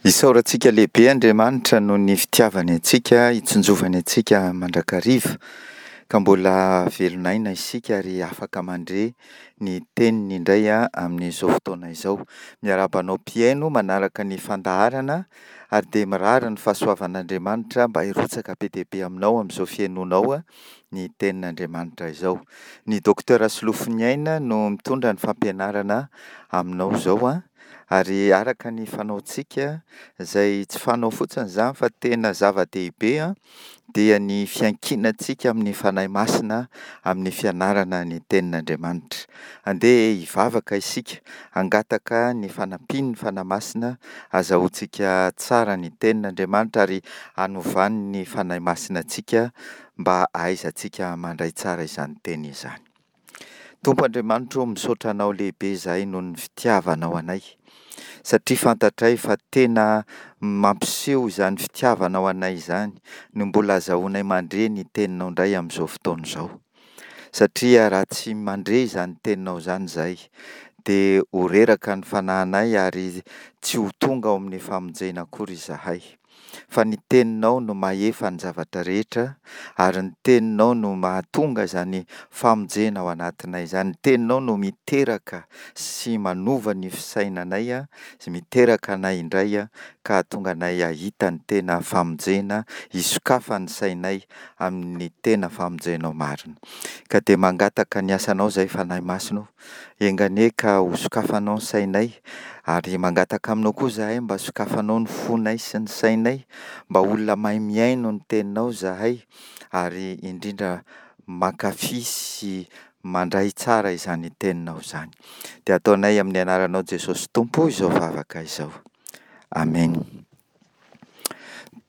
Isaorantsika lehibe Andriamanitra noho ny fitiavany antsika, itsinjovany antsika mandrakariva, ka mbola velon'aina isika ary afaka mandre ny teniny indray amin'izao fotoana izao. Miarahaba anao mpihaino manaraka ny fandaharana ary dia mirary ny fahasoavan'Andriamanitra mba hirotsaka be dia be aminao amin'izao fihainoanao ny tenin'Andriamanitra izao. Ny Docteur Solofoniaina no mitondra ny fampianarana aminao izao. Ary araka ny fanaontsika, izay tsy fanao fotsiny izany fa tena zava-dehibe dia ny fiankinantsika amin'ny Fanahy Masina amin'ny fianarana ny Tenin'Andriamanitra. Andeha hivavaka isika, hangataka ny fanampian'ny Fanahy Masina hazahoantsika tsara ny Tenin'Andriamanitra ary hanovan'ny Fanahy Masina antsika mba hahaizantsika mandray tsara izany Teny izany. Tompo Andriamanitro ô, misaotra Anao lehibe izahay noho ny fitiavanao anay, satria fantatray fa tena mampiseho izany fitiavanao anay izany no mbola azahoanay mandre ny Teninao indray amin'izao fotoana izao. Satria raha tsy mandre izany Teninao izany izahay, dia ho reraka ny fanahinay ary tsy ho tonga ao amin'ny famonjena akory izahay. Fa ny Teninao no mahefa ny zavatra rehetra, ary ny Teninao no mahatonga izany famonjena ao anatinay izany. Ny Teninao no miteraka sy manova ny fisainanay, sy miteraka anay indray, ka hahatonga anay hahita ny tena famonjena, hisokafan'ny sainay amin'ny tena famonjenao marina. Ka dia mangataka ny asanao izahay Fanahy Masina o, Enga anie ka ho sokafanao ny sainay, ary mangataka aminao koa izahay mba sokafanao ny fonay sy ny sainay, mba olona mahay mihaino ny teninao izahay, ary indrindra mankafy sy mandray tsara izany teninao izany. Dia ataonay amin'ny anaranao Jesosy Tompo izao vavaka izao. Amen.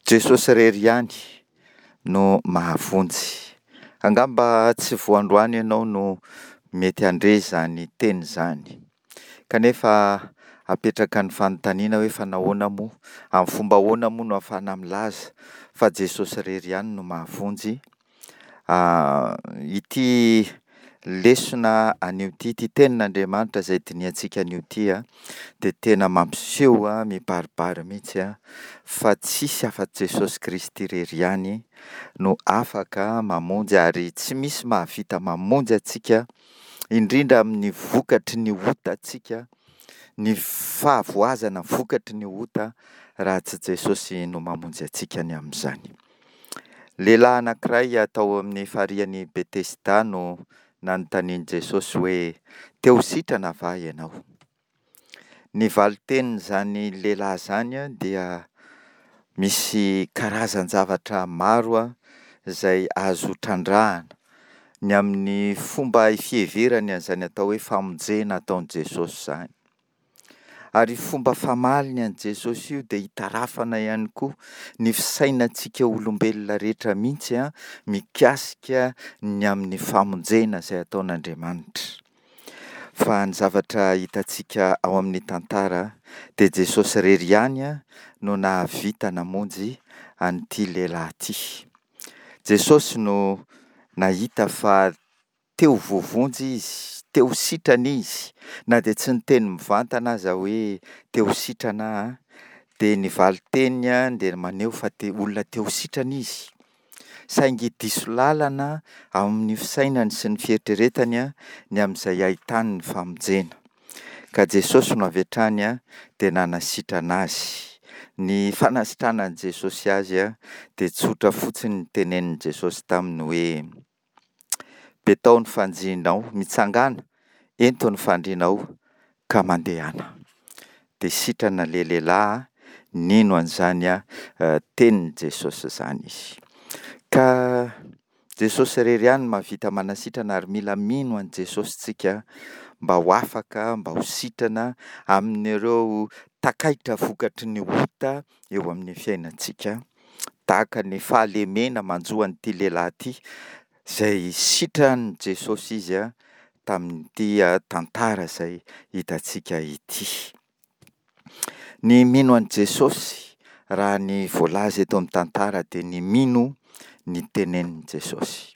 Jesosy irery ihany no mahavonjy. Angamba tsy vao androany ianao no mety handre izany teny izany. Kanefa apetraka ny fanontaniana hoe fa nahoana moa, amin'ny fomba ahoana moa no ahafahana milaza fa Jesosy irery ihany no mahavonjy? Ity lesona anio ity, ity tenin'Andriamanitra izay dinihantsika anio ity dia tena mampiseho mibaribary mihitsy fa tsisy afa-tsy Jesosy Kristy irery ihany no afaka mamonjy ary tsy misy mahavita mamonjy antsika indrindra amin'ny vokatry ny otantsika, ny fahavoazana vokatry ny ota raha tsy Jesosy no mamonjy antsika ny amin'izany. Lehilahy anankiray tao amin'ny farihin'i Betesda no nanontanian'i Jesosy hoe, Te ho sitrana va ianao? Ny valin-tenin'izany lehilahy izany dia misy karazan-javatra maro izay azo trandrahana ny amin'ny fomba fiheverany an'izany atao hoe famonjena ataon'i Jesosy izany. Ary io fomba famaliny an'i Jesosy io dia itarafana ihany koa ny fisainantsika olombelona rehetra mihitsy mikasika ny amin'ny famonjena izay ataon'Andriamanitra. Fa ny zavatra hitantsika ao amin'ny tantara dia Jesosy irery ihany no nahavita namonjy an'ity lehilahy ity. Jesosy no nahita fa te ho voavonjy izy, te ho sitrana izy, na dia tsy niteny mivantana aza hoe te ho sitrana aho, dia ny valin-teniny dia maneho fa te olona te ho sitrana izy. Saingy diso lalana amin'ny fisainany sy ny fieritreretany ny amin'izay ahitany ny famonjena. Ka Jesosy no avy hatrany dia nanasitrana azy. Ny fanasitranan'i Jesosy azy dia tsotra fotsiny ny tenenin'i Jesosy taminy hoe, Betao ny fanjianao, mitsangàna, ento ny fandrianao ka mandehana. Dia sitrana ilay lehilahy nino an'izany tenin'i Jesosy izany izy. Ka Jesosy irery ihany no mahavita manasitrana ary mila mino an'i Jesosy tsika mba ho afaka, mba ho sitrana amin'ireo takaitra vokatry ny ota eo amin'ny fiainantsika. Tahaka ny fahalemena manjo an'ity lehilahy ity izay sitran'i Jesosy izy tamin'ity tantara izay hitantsika ity. Ny mino an'i Jesosy raha ny voalaza eto amin'ny tantara dia ny mino ny tenenin'i Jesosy.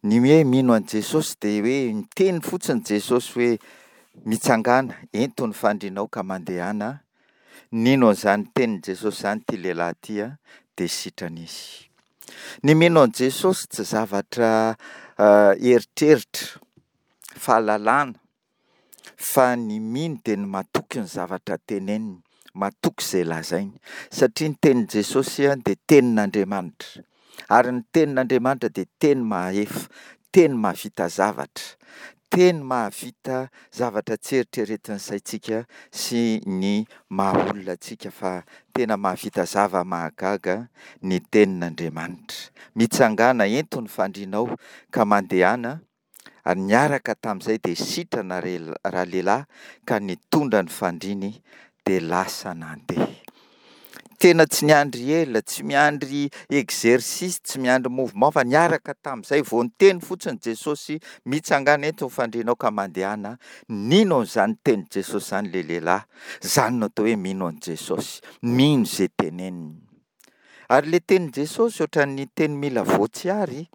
Ny hoe mino an'i Jesosy dia hoe miteny fotsiny Jesosy hoe mitsangàna, ento ny fandrianao ka mandehana. Nino an'izany tenin'i Jesosy izany ity lehilahy ity dia sitrana izy. Ny mino an'i Jesosy tsy zavatra eritreritra, fahalalana, fa ny mino dia ny matoky ny zavatra teneniny, matoky izay lazainy. Satria ny tenin'i Jesosy dia tenin'Andriamanitra. Ary ny tenin'Andriamanitra dia teny mahefa, teny mahavita zavatra, teny mahavita zavatra tsy eritreretin'ny saintsika sy ny maha olona antsika fa tena mahavita zava-mahagaga ny tenin'Andriamanitra. Mitsangàna, ento ny fandrianao ka mandehana. Ary niaraka tamin'izay dia sitrana ralehilahy ka nitondra ny fandriany dia lasa nandeha. Tena tsy niandry ela, tsy miandry exercice, tsy miandry mouvement fa niaraka tamin'izay vao niteny fotsiny Jesosy, mitsangàna eto ny fandrianao ka mandehana, nino an'izany tenin'i Jesosy izany ilay lehilahy, izany no atao hoe mino an'i Jesosy, mino izay teneniny. Ary ilay tenin'i Jesosy ohatran'ny teny mila voatsiary,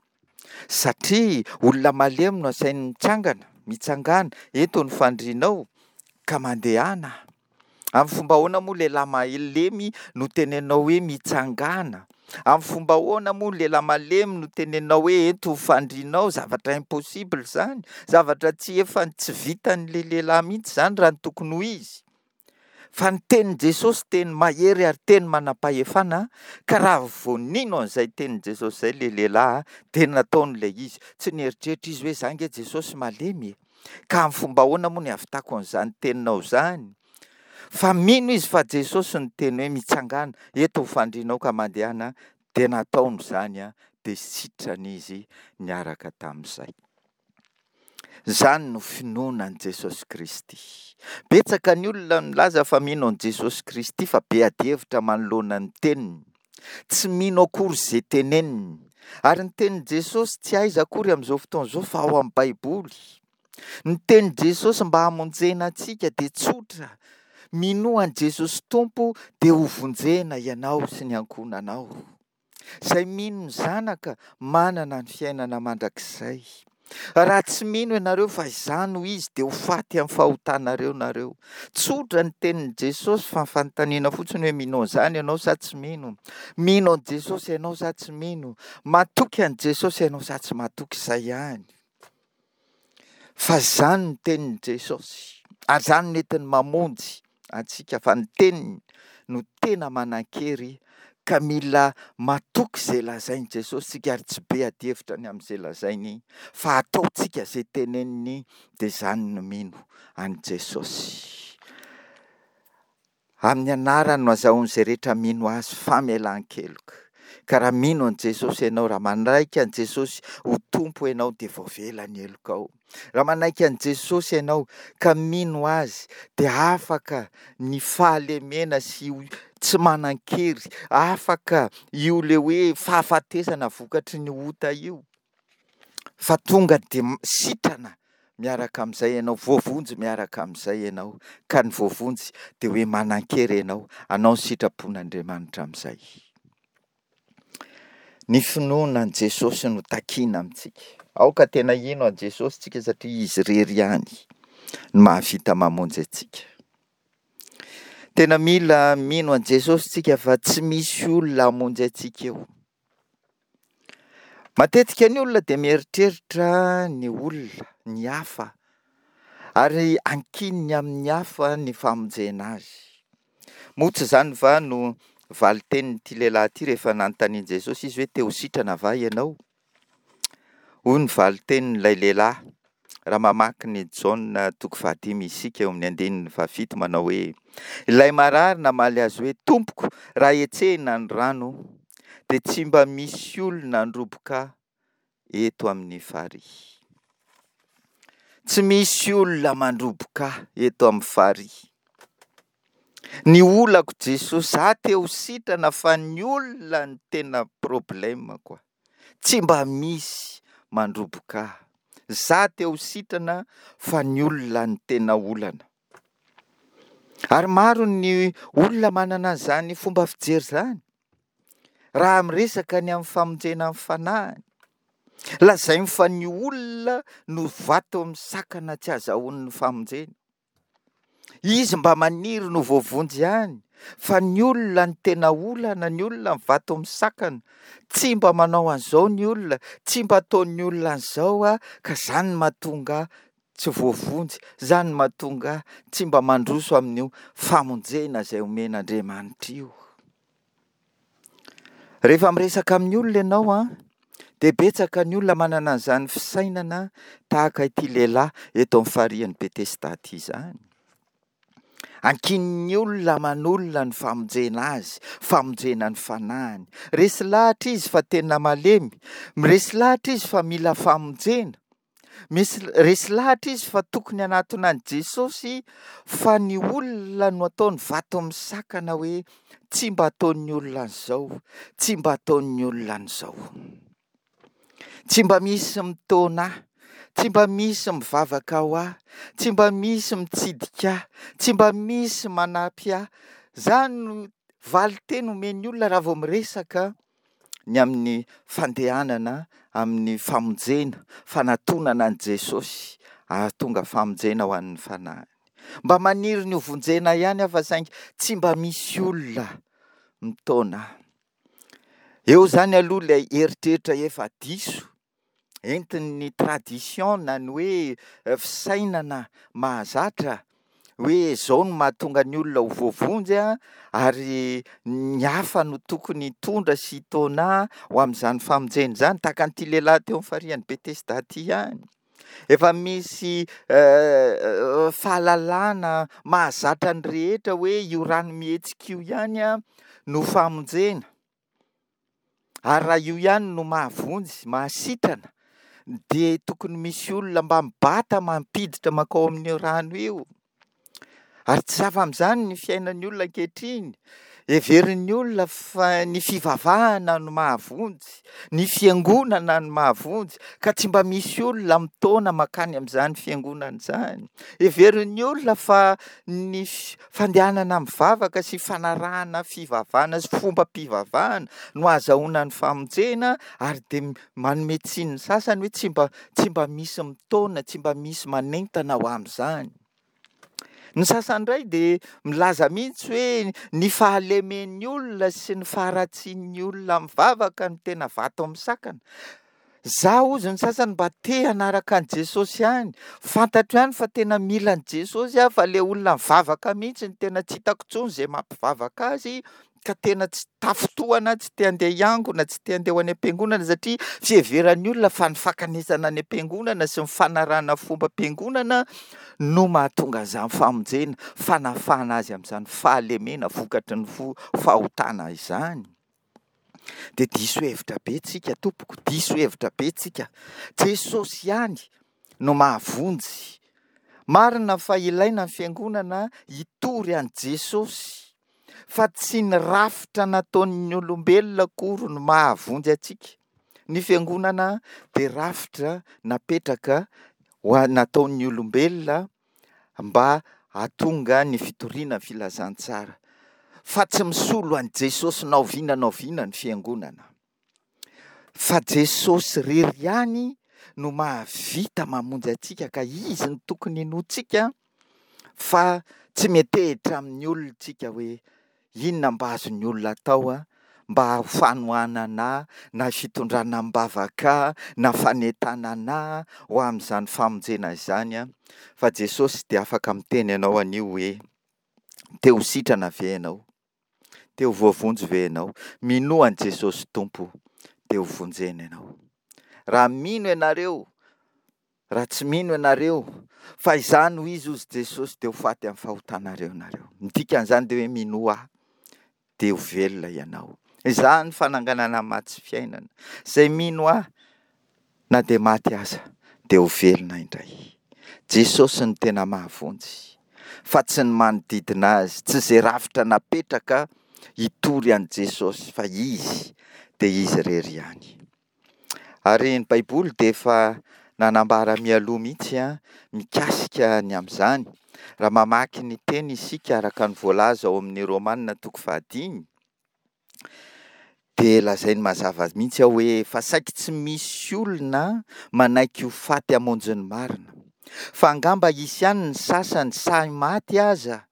Satria olona malemy no asainy mitsangana, mitsangàna, eto ny fandrianao ka mandehana. Amin'ny fomba ahoana moa lehilahy malemy no teneninao hoe mitsangàna? Amin'ny fomba ahoana moa lehilahy malemy no teneninao hoe ento ny fandrianao? Zavatra impossible izany, zavatra tsy efa tsy vitan'ilay lehilahy mihitsy izany raha ny tokony ho izy. Fa ny tenin'i Jesosy teny mahery ary teny manam-pahefana, ka raha vao nino an'izay tenin'i Jesosy izay ilay lehilahy dia nataony ilay izy. Tsy nieritreritra izy hoe za ange Jesosy malemy e! Ka amin'ny fomba ahoana moa ny hahavitako an'izany teninao izany? Fa mino izy fa Jesosy niteny hoe mitsangàna, eto ny fandrianao ka mandehana, dia nataony izany dia sitrana izy niaraka tamin'izay. Izany no finoana an'i Jesosy Kristy. Betsaka ny olona milaza fa mino an'i Jesosy Kristy fa be adihevitra manoloana ny teniny. Tsy mino akory izay teneniny. Ary ny tenin'i Jesosy tsy aiza akory amin'izao fotoana izao fa ao amin'ny Baiboly. Ny tenin'i Jesosy mba hamonjena antsika dia tsotra. Minoa an'i Jesosy Tompo dia hovonjena ianao sy ny ankohonanao. Izay mino ny Zanaka manana ny fiainana mandrakizay. Raha tsy mino ianareo fa Izaho no Izy dia ho faty amin'ny fahotanareo nareo. Tsotra ny tenin'i Jesosy fa fanontaniana fotsiny hoe mino an'izany ianao sa tsy mino? Mino an'i Jesosy ianao sa tsy mino? Matoky an'i Jesosy ianao sa tsy matoky? Izay ihany. Fa izany no tenin'i Jesosy, ary izany no entiny mamonjy antsika, fa ny teniny no tena manan-kery ka mila matoky izay lazain'i Jesosy isika ary tsy be adihevitra ny amin'izay lazainy fa ataontsika izay teneniny dia izany no mino an'i Jesosy. Amin'ny anarany no azahoan'izay rehetra mino Azy famelan-keloka. Ka raha mino an'i Jesosy ianao, raha manaiky an'i Jesosy ho Tompo ianao dia voavela ny helokao. Raha manaiky an'i Jesosy ianao ka mino Azy dia afaka ny fahalemena sy tsy manan-kery, afaka io le hoe fahafatesana vokatry ny ota io. Fa tonga dia sitrana miaraka amin'izay ianao, voavonjy miaraka amin'izay ianao, ka ny voavonjy dia hoe manan-kery ianao, hanao ny sitrapon'Andriamanitra amin'izay. Ny finoana an'i Jesosy no takiana amintsika. Aoka tena hino an'i Jesosy tsika satria Izy irery ihany no mahavita mamonjy antsika. Tena mila mino an'i Jesosy tsika fa tsy misy olona hamonjy antsika eo. Matetika ny olona dia mieritreritra ny olona, ny hafa, ary ankininy amin'ny hafa ny famonjena azy. Moa tsy izany va no valin-tenin'ity lehilahy ity rehefa nanontanian'i Jesosy izy hoe te ho sitrana va ianao? Hoy ny valin-tenin'ilay lehilahy, raha mamaky ny Jaona toko fahadimy isika eo amin'ny andininy fahafito manao hoe, Ilay marary namaly azy hoe, Tompoko, raha hetsehina ny rano, dia tsy mba misy olona handroboka eto amin'ny farihy. Tsy misy olona mandroboka eto amin'ny farihy. Ny olako Jesosy, za te ho sitrana fa ny olona no tena problème-ko. Tsy mba misy mandroboka ahy. Za te ho sitrana fa ny olona no tena olana. Ary maro ny olona manana an'izany fomba fijery izany. Raha miresaka ny amin'ny famonjena ny fanahiny, lazainy fa ny olona no vato misakana tsy azahoany ny famonjena. Izy mba maniry no voavonjy ihany. Fa ny olona no tena olana, ny olona no vato misakana. Tsy mba manao an'izao ny olona, tsy mba ataon'ny olona an'izao aho, ka izany no mahatonga ahy tsy voavonjy, izany no mahatonga ahy tsy mba mandroso amin'io famonjena izay omen'Andriamanitra io. Rehefa miresaka amin'ny olona ianao an, dia betsaka ny olona manana an'izany fisainana tahaka ity lehilahy eto amin'ny farihin'i Betesda ity izany. Ankinin'ny olona aman'olona ny famonjena azy, famonjena ny fanahiny. Resy lahatra izy fa tena malemy, resy lahatra izy fa mila famonjena. Misy resy lahatra izy fa tokony hanatona an'i Jesosy fa ny olona no ataony vato misakana hoe tsy mba ataon'ny olona an'izao, tsy mba ataon'ny olona an'izao. Tsy mba misy mitaona ahy, tsy mba misy mivavaka ho ahy, tsy mba misy mitsidika ahy, tsy mba misy manampy ahy. Izany no valin-teny omen'ny olona raha vao miresaka ny amin'ny fandehanana amin'ny famonjena, fanatonana an'i Jesosy hahatonga famonjena ho an'ny fanahiny. Mba maniry ny ho vonjena ihany aho fa saingy tsy mba misy olona mitaona ahy. Eo izany aloha ilay eritreritra efa diso entin'ny tradition na ny hoe fisainana mahazatra hoe izao no mahatonga ny olona ho voavonjy ary ny hafa no tokony hitondra sy hitaona ho amin'izany famonjena izany, tahaka an'ity lehilahy teo amin'ny farihin'i Betesda ity ihany. Efa misy fahalalana mahazatra ny rehetra hoe io rano mihetsika io ihany no famonjena. Ary raha io ihany no mahavonjy, mahasitrana, dia tokony misy olona mba mibata mampiditra mankao amin'io rano io. Ary tsy hafa amin'izany ny fiainan'ny olona ankehitriny. Heverin'ny olona fa ny fivavahana no mahavonjy, ny fiangonana no mahavonjy, ka tsy mba misy olona mitaona mankany amin'izany fiangonana izany. Heverin'ny olona fa ny fandehanana mivavaka sy fanarahana fivavahana sy fombam-pivavahana no ahazahoana ny famonjena ary dia manome tsiny ny sasany hoe tsy mba tsy mba misy mitaona, tsy mba misy manentana ho amin'izany. Ny sasany indray dia milaza mihitsy hoe ny fahalemen'ny olona sy ny faharatsian'ny olona mivavaka no tena vato amin'ny sakana. Za hozy ny sasany mba te hanaraka an'i Jesosy ihany, fantatro ihany fa tena mila an'i Jesosy aho fa le olona mivavaka mihitsy no tena tsy hitako intsony izay mampivavaka azy ka tena tsy tafintohana, tsy te handeha hiangona, tsy te handeha ho any am-piangonana satria fiheveran'ny olona fa ny fankanesana any am-piangonana sy ny fanarahana fombam-piangonana no mahatonga an'izany famonjena, fanafahana azy amin'izany fahalemena vokatry ny fahotana izany. Dia diso hevitra be tsika tompoko, diso hevitra be tsika. Jesosy ihany no mahavonjy. Marina fa ilaina ny fiangonana hitory an'i Jesosy, fa tsy ny rafitra nataon'ny olombelona akory no mahavonjy antsika. Ny fiangonana dia rafitra napetraka ho nataon'ny olombelona mba hahatonga ny fitoriana ny filazantsara, fa tsy misolo an'i Jesosy na oviana na oviana ny fiangonana. Fa Jesosy irery ihany no mahavita mamonjy antsika ka Izy no tokony hinoantsika fa tsy miantehitra amin'ny olona isika hoe Inona mba azon'ny olona atao mba ho fanohanana ahy na fitondrana am-bavaka ahy na fanentanana ahy ho amin'izany famonjena izany? Fa Jesosy dia afaka miteny anao anio hoe, Te ho sitrana ve ianao? Te ho voavonjy ve ianao? Minoa an'i Jesosy Tompo dia ho vonjena ianao. Raha mino ianareo Raha tsy mino ianareo fa Izaho no Izy, hozy Jesosy, dia ho faty amin'ny fahotanareo ianareo. Ny dikan'izany dia hoe minoa Ahy, dia ho velona ianao. Izaho no fananganana ny maty sy fiainana. Izay mino Ahy, na dia maty aza, dia ho velona indray. Jesosy no tena mahavonjy, fa tsy ny manodidina Azy, tsy izay rafitra napetraka hitory an'i Jesosy, fa Izy dia Izy irery ihany. Ary ny Baiboly dia efa nanambara mialoha mihitsy mikasika ny amin'izany. Raha mamaky ny teny isika araka ny voalaza ao amin'ny Romana toko fahadimy, dia lazainy mazava mihitsy ao hoe fa saiky tsy misy olona manaiky ho faty hamonjy ny marina. Fa angamba hisy ihany ny sasany sahy maty aza.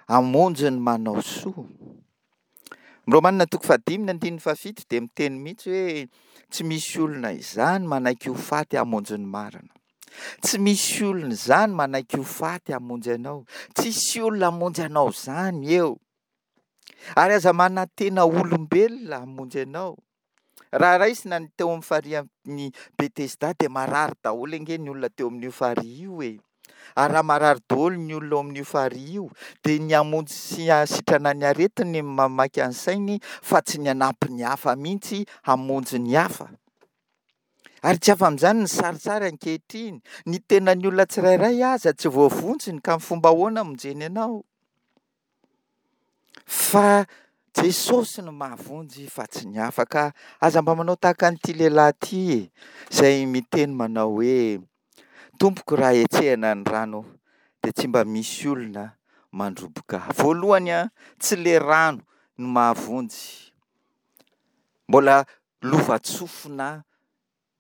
hamonjy ny manao soa. Ny Romana toko fahadimy ny andininy fahafito dia miteny mihitsy hoe tsy misy olona izany manaiky ho faty hamonjy ny marina. Tsy misy olona izany manaiky ho faty hamonjy anao. Tsisy olona hamonjy anao izany eo. Ary aza manantena olombelona hamonjy anao. Raha raisina ny teo amin'ny farihin'i Betesda dia marary daholo ange ny olona teo amin'io farihy io e. Ary raha marary daholo ny olona ao amin'io farihy io dia ny hamonjy sy hahasitrana ny aretiny no mamaika ny sainy fa tsy ny hanampy ny hafa mihitsy hamonjy ny hafa. Ary tsy afa amin'izany ny sarisary ankehitriny, ny tenan'ny olona tsirairay aza tsy voavonjiny ka amin'ny fomba ahoana hamonjeny anao? Fa Jesosy no mahavonjy fa tsy ny hafa ka aza mba manao tahaka an'ity lehilahy ity e, izay miteny manao hoe, Tompoko raha hetsehina ny rano dia tsy mba misy olona mandroboka ahy. Voalohany an, tsy le rano no mahavonjy, mbola lovantsofina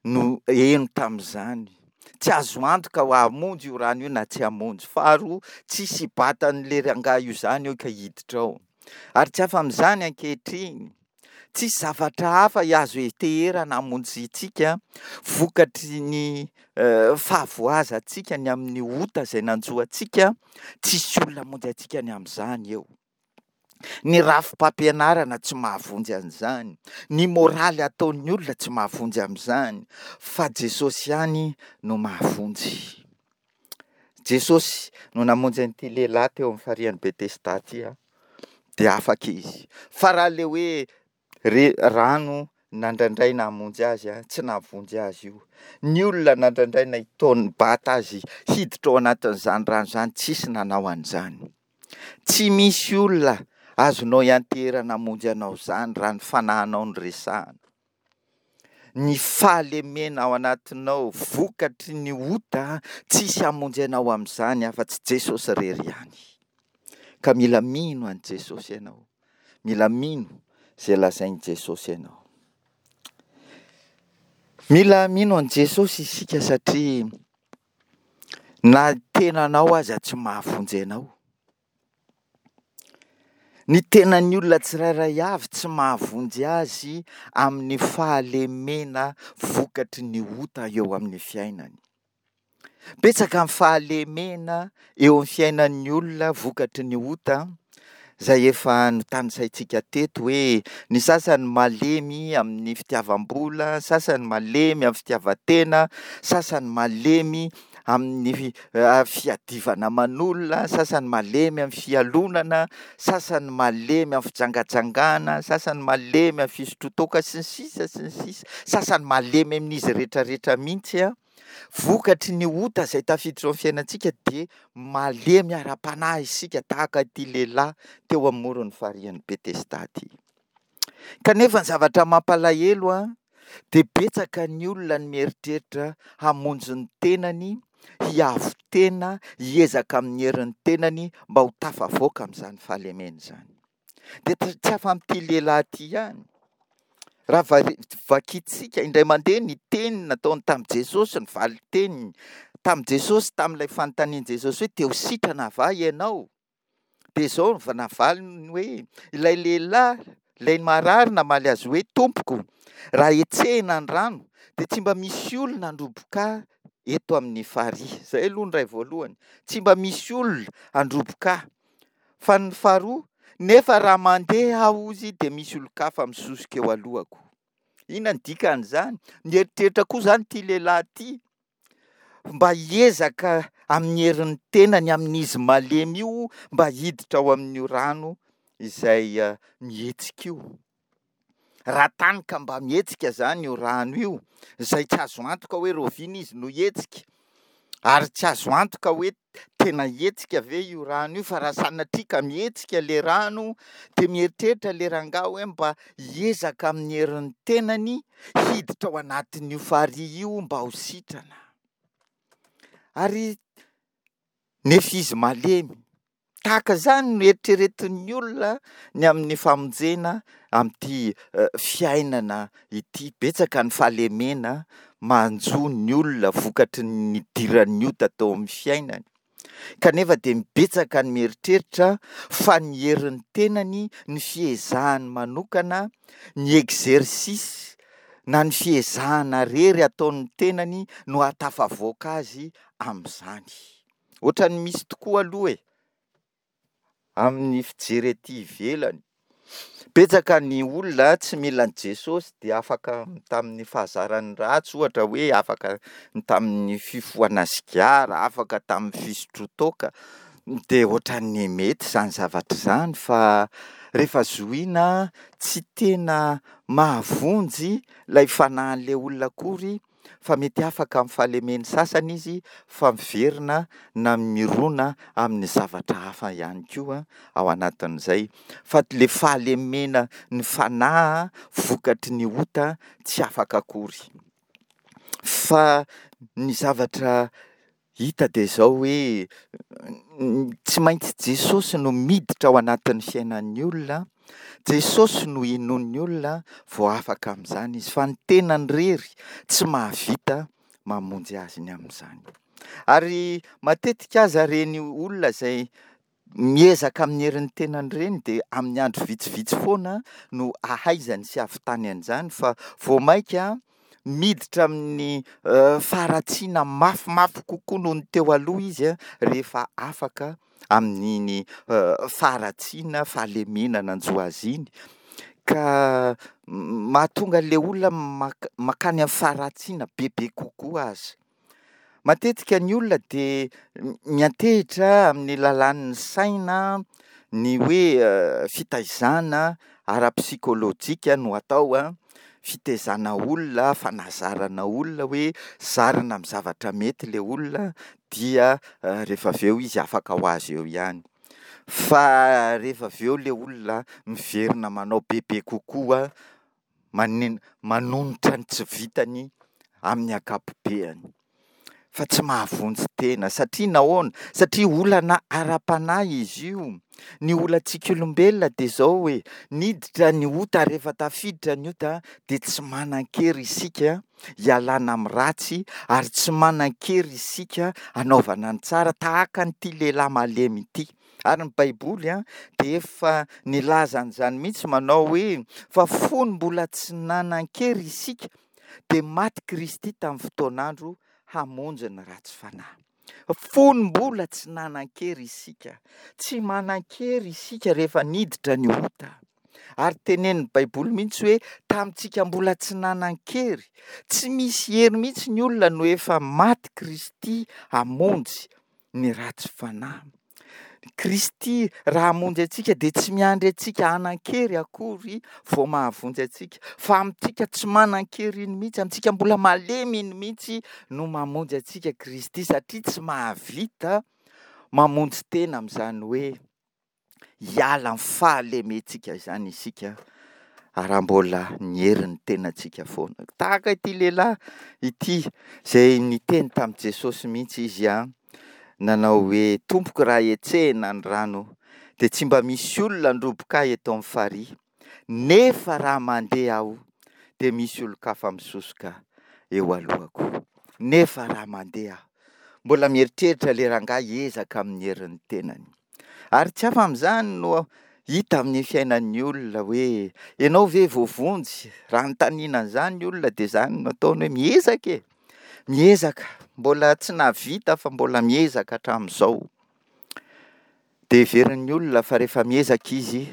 no heno tamin'izany. Tsy azo antoka ho hamonjy io rano io na tsy hamonjy. Faharoa, tsisy hibata an'ilay rangahy io izany eo ka hiditra ao. Ary tsy afa amin'izany ankehitriny. Tsisy zavatra hafa azo heteherana hamonjy antsika vokatry ny fahavoazantsika ny amin'ny ota izay nanjo antsika. Tsisy olona hamonjy antsika ny amin'izany eo. Ny rafi-pampianarana tsy mahavonjy an'izany, ny moraly ataon'ny olona tsy mahavonjy amin'izany, fa Jesosy ihany no mahavonjy. Jesosy no namonjy an'ity lehilahy teo amin'ny farihin'i Betesda ity, dia afaka izy. Fa raha ilay hoe Re rano nandrandraina hamonjy azy a, tsy nahavonjy azy io. Ny olona nandrandraina hitaon nibata azy hiditra ao anatin'izany rano izany tsisy nanao an'izany. Tsy misy olona azonao ianteherana hamonjy anao izany raha ny fanahinao no resahana. Ny fahalemena ao anatinao vokatry ny ota tsisy hamonjy anao amin'izany afa-tsy Jesosy irery ihany. Ka mila mino an'i Jesosy ianao. Mila mino izay lazain'i Jesosy ianao. Mila mino an'i Jesosy isika satria na tenanao aza tsy mahavonjy anao. Ny tenan'ny olona tsirairay avy tsy mahavonjy azy amin'ny fahalemena vokatry ny ota eo amin'ny fiainany. Betsaka ny fahalemena eo amin'ny fiainan'ny olona vokatry ny ota izay efa notanisaintsika teto hoe ny sasany malemy amin'ny fitiavam-bola, ny sasany malemy amin'ny fitiavan-tena, sasany malemy amin'ny fiadivana aman'olona, sasany malemy amin'ny fialonana, sasany malemy amin'ny fijangajangana, sasany malemy amin'ny fisotroan-toaka sy ny sisa sy ny sisa, sasany malemy amin'izy rehetrarehetra mihitsy an. Vokatry ny ota izay tafiditra ao amin'ny fiainantsika dia malemy ara-panahy isika tahaka ity lehilahy teo amoron'ny farihin'i Betesda ity. Kanefa ny zavatra mampalahelo an, dia betsaka ny olona ny mieritreritra hamonjy ny tenany, hiavo tena, hiezaka amin'ny herin'ny tenany mba ho tafavoaka amin'izany fahalemena izany. Dia tsy afa amin'ity lehilahy ity ihany. Raha vakintsika indray mandeha ny teny nataony tamin'i Jesosy, ny valin-teniny tamin'i Jesosy tamin'ilay fanontanian'i Jesosy hoe te ho sitrana va ianao? Dia izao no navaliny hoe, ilay lehilahy, ilay marary namaly azy hoe, Tompoko, raha hetsehina ny rano, dia tsy mba misy olona handroboka ahy eto amin'ny farihy. Izay aloha ny iray voalohany. Tsy mba misy olona handroboka ahy. Fa ny faharoa, nefa raha mandeha aho hozy dia misy olon-kafa misosoka eo alohako. Inona ny dikan'izany? Nieritreritra koa izany ity lehilahy ity mba hiezaka amin'ny herin'ny tenany amin'izy malemy io mba hiditra ao amin'io rano izay mihetsika io. Raha tany ka mba mihetsika izany io rano io, izay tsy azo antoka hoe rahoviana izy no hihetsika, ary tsy azo antoka hoe tena hihetsika ve io rano io, fa raha sanatria ka mihetsika le rano dia mieritreritra le rangahy hoe mba hiezaka amin'ny herin'ny tenany hiditra ao anatin'io farihy io mba ho sitrana. Ary nefa izy malemy. Tahaka izany no eritreretin'ny olona ny amin'ny famonjena amin'ity fiainana ity. Betsaka ny fahalemena manjo ny olona vokatry ny nidiran'ny ota tao amin'ny fiainany. Kanefa dia betsaka ny mieritreritra fa ny herin'ny tenany, ny fiezahany manokana, ny exercice na ny fiezahana rery ataon'ny tenany no hahatafavoaka azy amin'izany. Ohatran'ny misy tokoa aloha e! Amin'ny fijery ety ivelany. Betsaka ny olona tsy mila an'i Jesosy dia afaka tamin'ny fahazarany ratsy ohatra hoe afaka tamin'ny fifohana sigara, afaka tamin'ny fisotroan-toaka, dia ohatran'ny mety izany zavatra izany fa rehefa zohiana tsy tena mahavonjy ilay fanahin'ilay olona akory fa mety afaka amin'ny fahalemeny sasany izy fa miverina na mirona amin'ny zavatra hafa ihany koa ao anatin'izay fa le fahalemena ny fanahy vokatry ny ota tsy afaka akory fa ny zavatra hita dia izao hoe tsy maintsy Jesosy no miditra ao anatin'ny fiainan'ny olona, Jesosy no inoan'ny olona vao afaka amin'izany izy, fa ny tenany irery tsy mahavita mamonjy azy ny amin'izany. Ary matetika aza ireny olona izay miezaka amin'ny herin'ny tenany ireny dia amin'ny andro vitsivitsy foana no ahaizany sy ahavitany an'izany fa vao mainka miditra amin'ny faharatsiana mafimafy kokoa noho ny teo aloha izy rehefa afaka amin'iny faharatsiana, fahalemena nanjo azy iny, ka mahatonga an'ilay olona mankany amin'ny faharatsiana bebe kokoa aza. Matetika ny olona dia miantehitra amin'ny lalàn'ny saina, ny hoe fitaizana ara-psikolojika no atao, fitaizana olona, fanazarana olona hoe zarina amin'ny zavatra mety ilay olona dia rehefa avy eo izy afaka ho azy eo ihany. Fa rehefa avy eo ilay olona miverina manao bebe kokoa manonitra ny tsy vitany amin'ny ankapobeany fa tsy mahavonjy tena. Satria nahoana? Satria olana ara-panahy izy io. Ny olantsika olombelona dia izao hoe, niditra ny ota, rehefa tafiditra ny ota dia tsy manan-kery isika hialana amin'ny ratsy ary tsy manan-kery isika hanaovana ny tsara tahaka an'ity lehilahy malemy ity. Ary ny Baiboly dia efa nilaza an'izany mihitsy manao hoe fa fony mbola tsy nanan-kery isika dia maty Kristy tamin'ny fotoan'andro hamonjy ny ratsy fanahy. Fony mbola tsy nanan-kery isika. Tsy manan-kery isika rehefa niditra ny ota. Ary tenenin'ny Baiboly mihitsy hoe tamintsika mbola tsy nanan-kery, tsy misy hery mihitsy ny olona no efa maty Kristy hamonjy ny ratsy fanahy. Kristy raha hamonjy antsika dia tsy miandry antsika hanan-kery akory vao mahavonjy antsika, fa amintsika tsy manan-kery iny mihitsy, amintsika mbola malemy iny mihitsy no mamonjy antsika Kristy, satria tsy mahavita mamonjy tena amin'izany hoe hiala amin'ny fahalementsika izany isika raha mbola ny herin'ny tenantsika foana. Tahaka ity lehilahy ity izay niteny tamin'i Jesosy mihitsy izy an, nanao hoe, Tompoko raha hetsehina ny rano dia tsy mba misy olona handroboka ahy eto amin'ny farihy, nefa raha mandeha aho dia misy olon-kafa misosoka eo alohako. Nefa raha mandeha aho. Mbola mieritreritra ilay rangahy hiezaka amin'ny herin'ny tenany. Ary tsy hafa amin'izany no hita amin'ny fiainan'ny olona hoe ianao ve voavonjy? Raha anontaniana an'izany ny olona dia izany no ataony hoe miezaka e! Miezaka, mbola tsy nahavita fa mbola miezaka hatramin'izao. Dia heverin'ny olona fa rehefa miezaka izy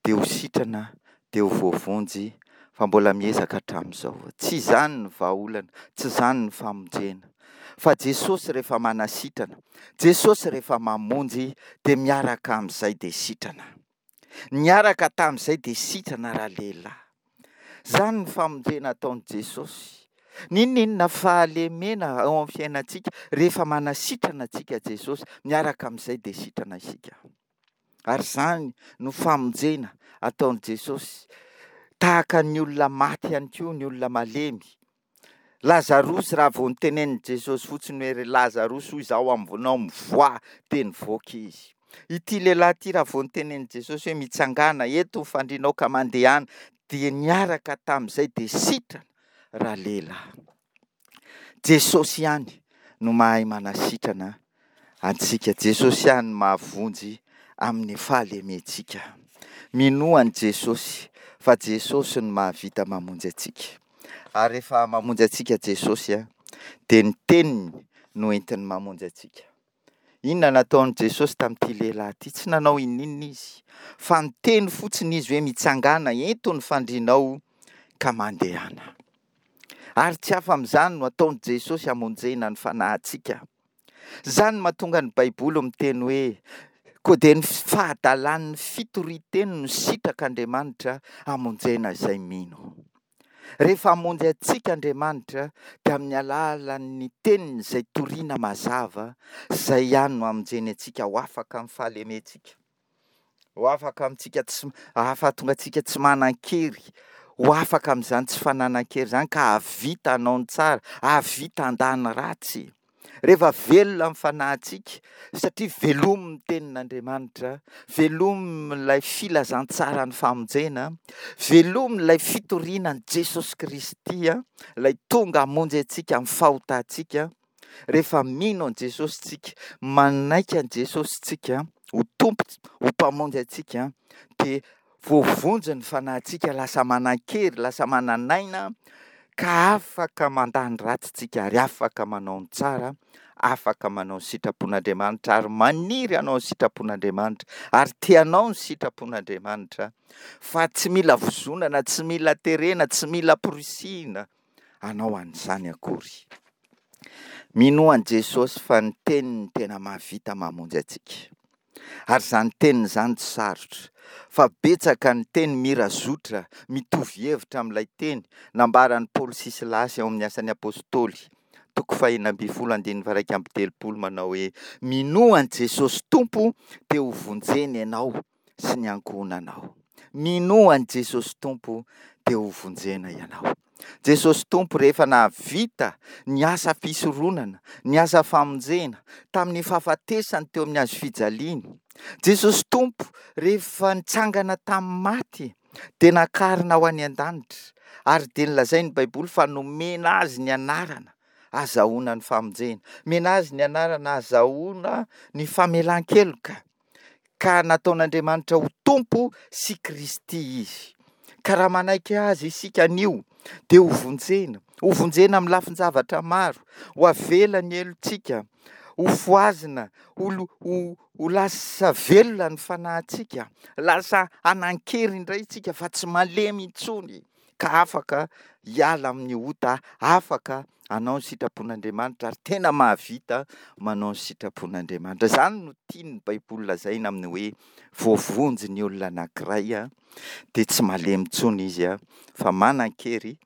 dia ho sitrana, dia ho voavonjy, fa mbola miezaka hatramin'izao. Tsy izany ny vahaolana, tsy izany ny famonjena. Fa Jesosy rehefa manasitrana, Jesosy rehefa mamonjy, dia miaraka amin'izay dia sitrana. Niaraka tamin'izay dia sitrana ralehilahy. Izany ny famonjena ataon'i Jesosy. N'inon'inona fahalemena ao amin'ny fiainantsika, rehefa manasitrana antsika Jesosy, miaraka amin'izay dia sitrana isika. Ary izany no famonjena ataon'i Jesosy. Tahaka ny olona maty ihany koa ny olona malemy. Lazarosy raha vao notenenin'i Jesosy fotsiny hoe ry Lazarosy hoy izaho aminao mivoaha dia nivoaka izy. Ity lehilahy ity raha vao notenenin'i Jesosy hoe mitsangàna eto ny fandrianao ka mandehana dia niaraka tamin'izay dia sitrana ralehilahy. Jesosy ihany no mahay manasitrana. antsika. Jesosy ihany no mahavonjy amin'ny fahalementsika. Minoa an'i Jesosy fa Jesosy no mahavita mamonjy antsika. Ary rehefa mamonjy antsika Jesosy dia ny teniny no entiny mamonjy antsika. Inona nataon'i Jesosy tamin'ity lehilahy ity? Tsy nanao ininona izy, fa niteny fotsiny izy hoe mitsangàna, ento ny fandrianao ka mandehana. Ary tsy hafa amin'izany no ataon'i Jesosy hamonjena ny fanahintsika. Izany no mahatonga ny Baiboly miteny hoe, Koa dia ny fahadalan'ny fitorian-teny no sitrak'Andriamanitra hamonjena izay mino. Rehefa hamonjy antsika Andriamanitra dia amin'ny alalan'ny teniny izay toriana mazava, izay ihany no hamonjeny antsika ho afaka amin'ny fahalementsika. Ho afaka amintsika tsy hahatonga antsika tsy manan-kery, ho afaka amin'izany tsy fananan-kery izany ka hahavita hanao ny tsara, hahavita handà ny ratsy. Rehefa velona ny fanahintsika, satria velomin'ny tenin'Andriamanitra, velomin'ilay filazantsaran'ny famonjena, velomin'ilay fitoriana an'i Jesosy Kristy, ilay tonga hamonjy antsika amin'ny fahotantsika, Rehefa mino an'i Jesosy tsika, manaiky an'i Jesosy tsika ho Tompo, ho Mpamonjy antsika, dia voavonjy ny fanahintsika, lasa manan-kery, lasa manan'aina, ka afaka mandà ny ratsy tsika ary afaka manao ny tsara, afaka manao ny sitrapon'Andriamanitra ary maniry hanao ny sitrapon'Andriamanitra ary te hanao ny sitrapon'Andriamanitra fa tsy mila vozonana, tsy mila terena, tsy mila amporisihina hanao an'izany akory. Minoa an'i Jesosy fa ny teniny tena mahavita mamonjy antsika. Ary izany teniny izany tsy sarotra, fa betsaka ny teny mira zotra mitovy hevitra amin'ilay teny nambaran'i Paoly sy Silasy ao amin'ny Asan'ny Apostoly, toko faha-16 andininy faha-31 manao hoe, Minoa an'i Jesosy Tompo dia hovonjena ianao sy ny ankohonanao. Minoa an'i Jesosy Tompo dia ho vonjena ianao. Jesosy Tompo rehefa nahavita ny asa fisoronana, ny asa famonjena tamin'ny fahafatesany teo amin'ny hazo fijaliana. Jesosy Tompo rehefa nitsangana tamin'ny maty dia nakarina ho any an-danitra ary dia nolazain'ny Baiboly fa nomena azy ny anarana azahoana ny famonjena. Nomena azy ny anarana azahoana ny famelan-keloka. ka nataon'Andriamanitra ho Tompo sy Kristy Izy. Ka raha manaiky Azy isika anio, dia ho vonjena, ho vonjena amin'ny lafin-javatra maro, ho avela ny helotsika, ho fohazina, ho ho ho lasa velona ny fanahintsika, lasa hanan-kery indray isika fa tsy malemy intsony. ka afaka hiala amin'ny ota, afaka hanao ny sitrapon'Andriamanitra ary tena mahavita manao ny sitrapon'Andriamanitra. Izany no tian'ny Baiboly lazaina amin'ny hoe voavonjy ny olona anankiray dia tsy malemy intsony izy fa manan-kery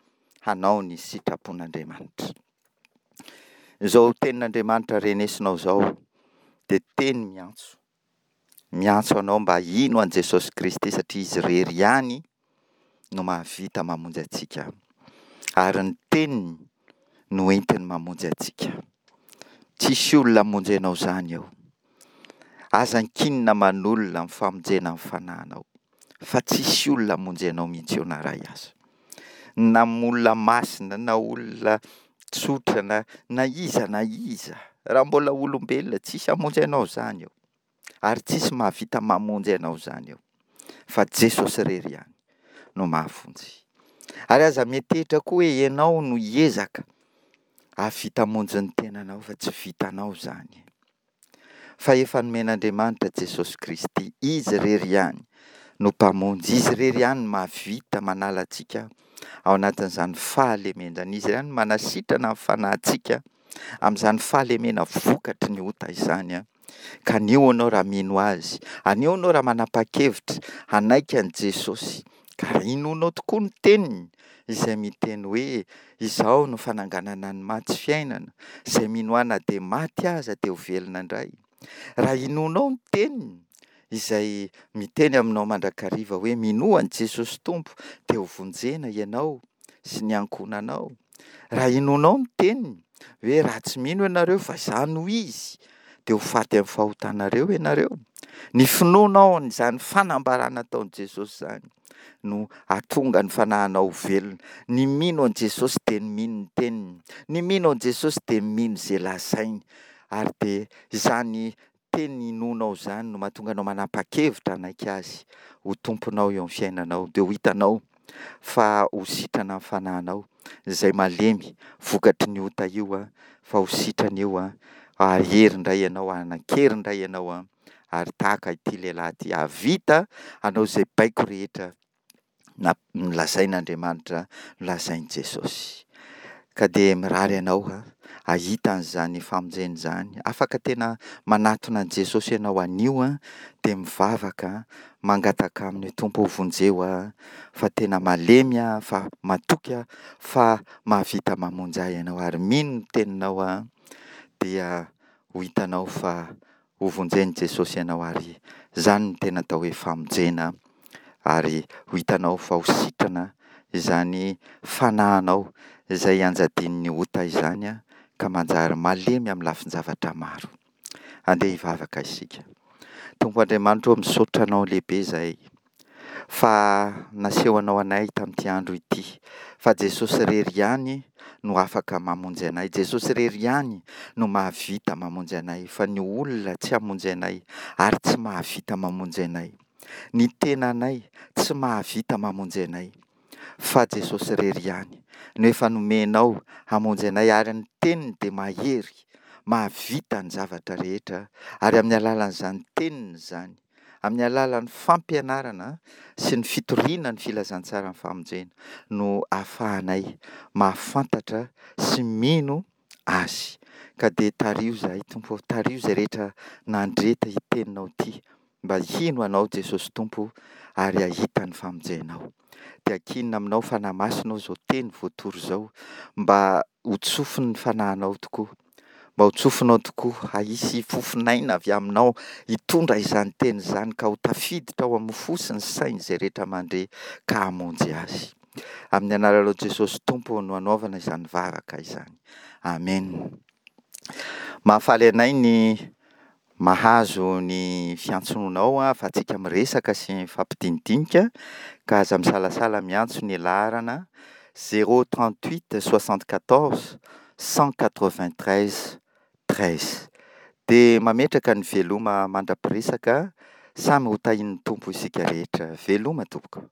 hanao ny sitrapon'Andriamanitra. Izao tenin'Andriamanitra renesinao izao dia teny miantso. Miantso anao mba hino an'i Jesosy Kristy satria Izy irery ihany no mahavita mamonjy antsika ary ny teniny no entiny mamonjy antsika. Tsisy olona hamonjy anao izany eo. Aza ankinina aman'olona ny famonjena ny fanahinao fa tsisy olona hamonjy anao mihitsy eo na iray aza. Na olona masina na olona tsotra na na iza na iza, raha mbola olombelona tsisy hamonjy anao izany eo. Ary tsisy mahavita mamonjy anao izany eo. Fa Jesosy irery ihany no mahavonjy. Ary aza miantehitra koa hoe ianao no hiezaka hahavita hamonjy ny tenanao fa tsy vitanao izany. Fa efa nomen'Andriamanitra Jesosy Kristy, Izy irery ihany no Mpamonjy, Izy irery ihany no mahavita manala antsika ao anatin'izany fahalemena izany, Izy ihany no manasitrana ny fanahintsika amin'izany fahalemena vokatry ny ota izany. Ka anio ianao raha mino Azy, anio ianao raha manapa-kevitra hanaiky an'i Jesosy, ka raha inoanao tokoa ny teniny izay miteny hoe, Izaho no fananganana ny maty sy fiainana, izay mino Ahy na dia maty aza dia ho velona indray. Raha inoanao ny teniny izay miteny aminao mandrakariva hoe, Minoa an'i Jesosy Tompo dia ho vonjena ianao sy ny ankohonanao. Raha inoanao ny teniny hoe raha tsy mino ianareo fa izaho no izy dia ho faty amin'ny fahotanareo ianareo. Ny finoanao an'izany fanambarana ataon'i Jesosy izany no hahatonga ny fanahinao ho velona. Ny mino an'i Jesosy dia ny mino ny teniny. Ny mino an'i Jesosy dia mino izay lazainy. Ary dia izany teny inoanao izany no mahatonga anao manapa-kevitra hanaiky Azy ho Tomponao eo amin'ny fiainanao. Dia ho hitanao fa ho sitrana ny fanahinao izay malemy vokatry ny ota io fa ho sitrana io ary hery indray ianao, hanan-kery indray ianao ary tahaka ity lehilahy ity hahavita hanao izay baiko rehetra nolazain'Andriamanitra, nolazain'i Jesosy. Ka dia mirary anao hahita an'izany famonjena izany. Afaka tena manatona an'i Jesosy ianao anio dia mivavaka, mangataka aminy hoe Tompo ô vonjeo aho fa tena malemy aho fa matoky aho fa mahavita mamonjy ahy ianao ary mino ny teninao aho dia ho hitanao fa ho vonjen'i Jesosy ianao ary izany no tena atao hoe famonjena ary ho hitanao fa ho sitrana izany fanahinao izay ianjadian'ny ota izany ka manjary malemy amin'ny lafin-javatra maro. Andeha hivavaka isika. Tompo Andriamanitra ô, misaotra Anao lehibe izahay fa nasehonao anay tamin'ity andro ity fa Jesosy irery ihany no afaka mamonjy anay, Jesosy irery ihany no mahavita mamonjy anay fa ny olona tsy hamonjy anay ary tsy mahavita mamonjy anay. Ny tenanay tsy mahavita mamonjy anay fa Jesosy irery ihany no efa nomenao hamonjy anay ary ny teniny dia mahery, mahavita ny zavatra rehetra ary amin'ny alalan'izany teniny izany, amin'ny alalan'ny fampianarana sy ny fitoriana ny filazantsaran'ny famonjena no ahafahanay mahafantatra sy mino Azy. Ka dia tariho izahay Tompo ô, tariho izay rehetra nandre ity teninao ity mba hino Anao Jesosy Tompo ary hahita ny famonjenao. Dia ankinina aminao Fanahy Masina ô izao teny voatory izao mba ho tsofin'ny fanahinao tokoa, mba ho tsofinao tokoa, hahisy fofon'aina avy aminao hitondra izany teny izany ka ho tafiditra ao amin'ny fo sy ny sain'izay rehetra mandre ka hamonjy azy. Amin'ny anaranao Jesosy Tompo no anaovana izany vavaka izany. Amen. Mahafaly anay ny mahazo ny fiantsonao ahafahantsika miresaka sy mifampidinidinika ka aza misalasala miantso ny laharana 038 74 193 13. Dia mametraka ny veloma mandra-piresaka, samy ho tahian'ny Tompo isika rehetra. Veloma tompoko.